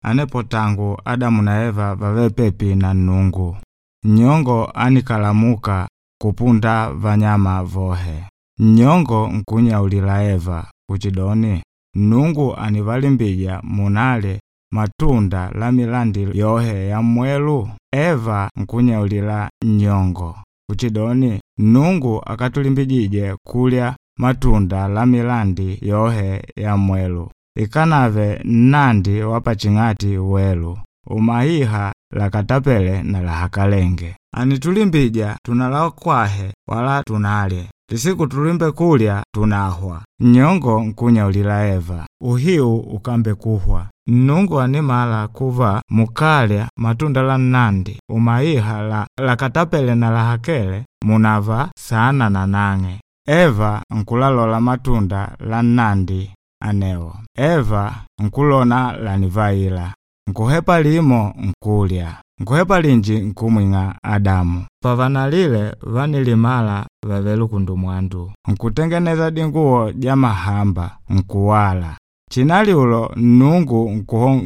Anepo tangu Adamu na Eva vave pepi na Nnungu. Nnyongo anikalamuka kupunda vanyama vohe. Nnyongo nkunyaulila Eva kuchidoni, Nnungu anivalimbija munale matunda la milandi yohe ya mmwelu? Eva nkunyaulila nnyongo kuchidoni, Nnungu akatulimbijije kulya matunda la milandi yohe ya mmwelu, ikanave nnandi wa paching'ati welu, umahiha lakatapele na lahakalenge. Anitulimbija tunalakwahe wala tunalye, lisiku tulimbe kulya tunahwa. Nnyongo nkunyaulila Eva, uhiu ukambe kuhwa. Nnungu animala kuva mukalya matunda la nnandi umahiha la lakatapele na lahakele munava sana na nang'e. Eva nkulalola matunda la nnandi anewo. Eva nkulona lanivaila. Nkuhepa limo nkulya. Nkuhepa linji nkumwing'a Adamu. Pavanalile vanilimala vavele kundumwandu. Nkutengeneza dinguwo ja mahamba nkuwala. Chinali ulo Nnungu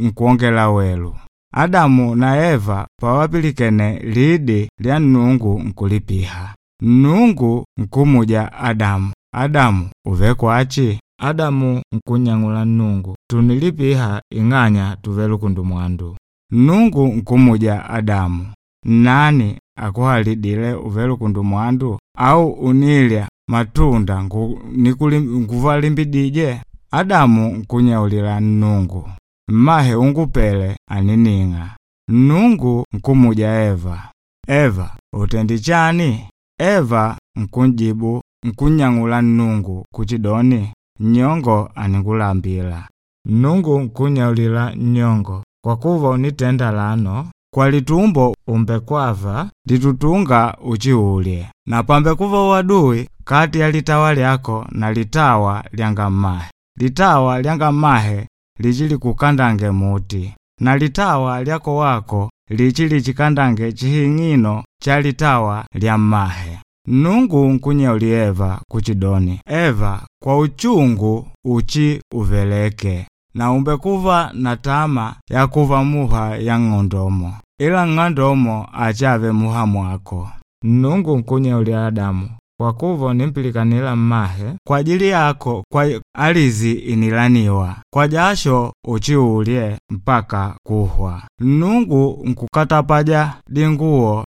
nkuongela welu. Adamu na Eva pawapilikene lidi lya Nnungu nkulipiha. Nnungu nkumuja Adamu, Adamu uve kwachi? Adamu nkunyang'ula Nnungu, tunilipiha ing'anya tuve kundumwandu. Nnungu nkumuja Adamu, nani akuhalidile uve kundumwandu? Au unilya matunda nguvalimbidije? Adamu nkunyaulila Nnungu, mmahe ungupele anining'a. Nnungu nkumuja Eva, Eva utendi chani? Eva nkunjibu nkunyang'ula Nnungu kuchidoni, nnyongo aningulambila. Nnungu nkunyaulila nnyongo, kwa kuva unitenda lano, kwa litumbo umbekwava litutunga uchiulye, na pambekuva uadui kati ya litawa lyako na litawa lyanga mmahe. Litawa lyanga mmahe lichili kukandange muti, na litawa lyako wako lichili chikandange chihing'ino cha litawa lya mmahe. Nnungu nkunyauli Eva kuchidoni, Eva kwa uchungu uchi uveleke, na umbekuva na tama ya kuva muha ya ng'ondomo, ila ng'ondomo achave muha mwako. Nnungu nkunyauli Adamu, kwa kuva unimpilikanila mmahe, kwa ajili yako kwa alizi inilaniwa, kwa jasho uchiulye mpaka kuhwa. Nnungu nkukatapaja dinguwo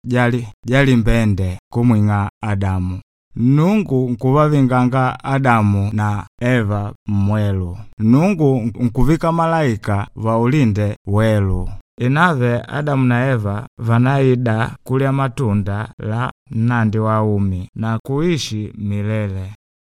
jali mbende kumwing'a Adamu. Nnungu nkuvavinganga Adamu na Eva mmwelu. Nnungu nkuvika malaika vaulinde welu. Inave Adamu na Eva vanaida kulya matunda la nnandi wa umi na kuishi milele.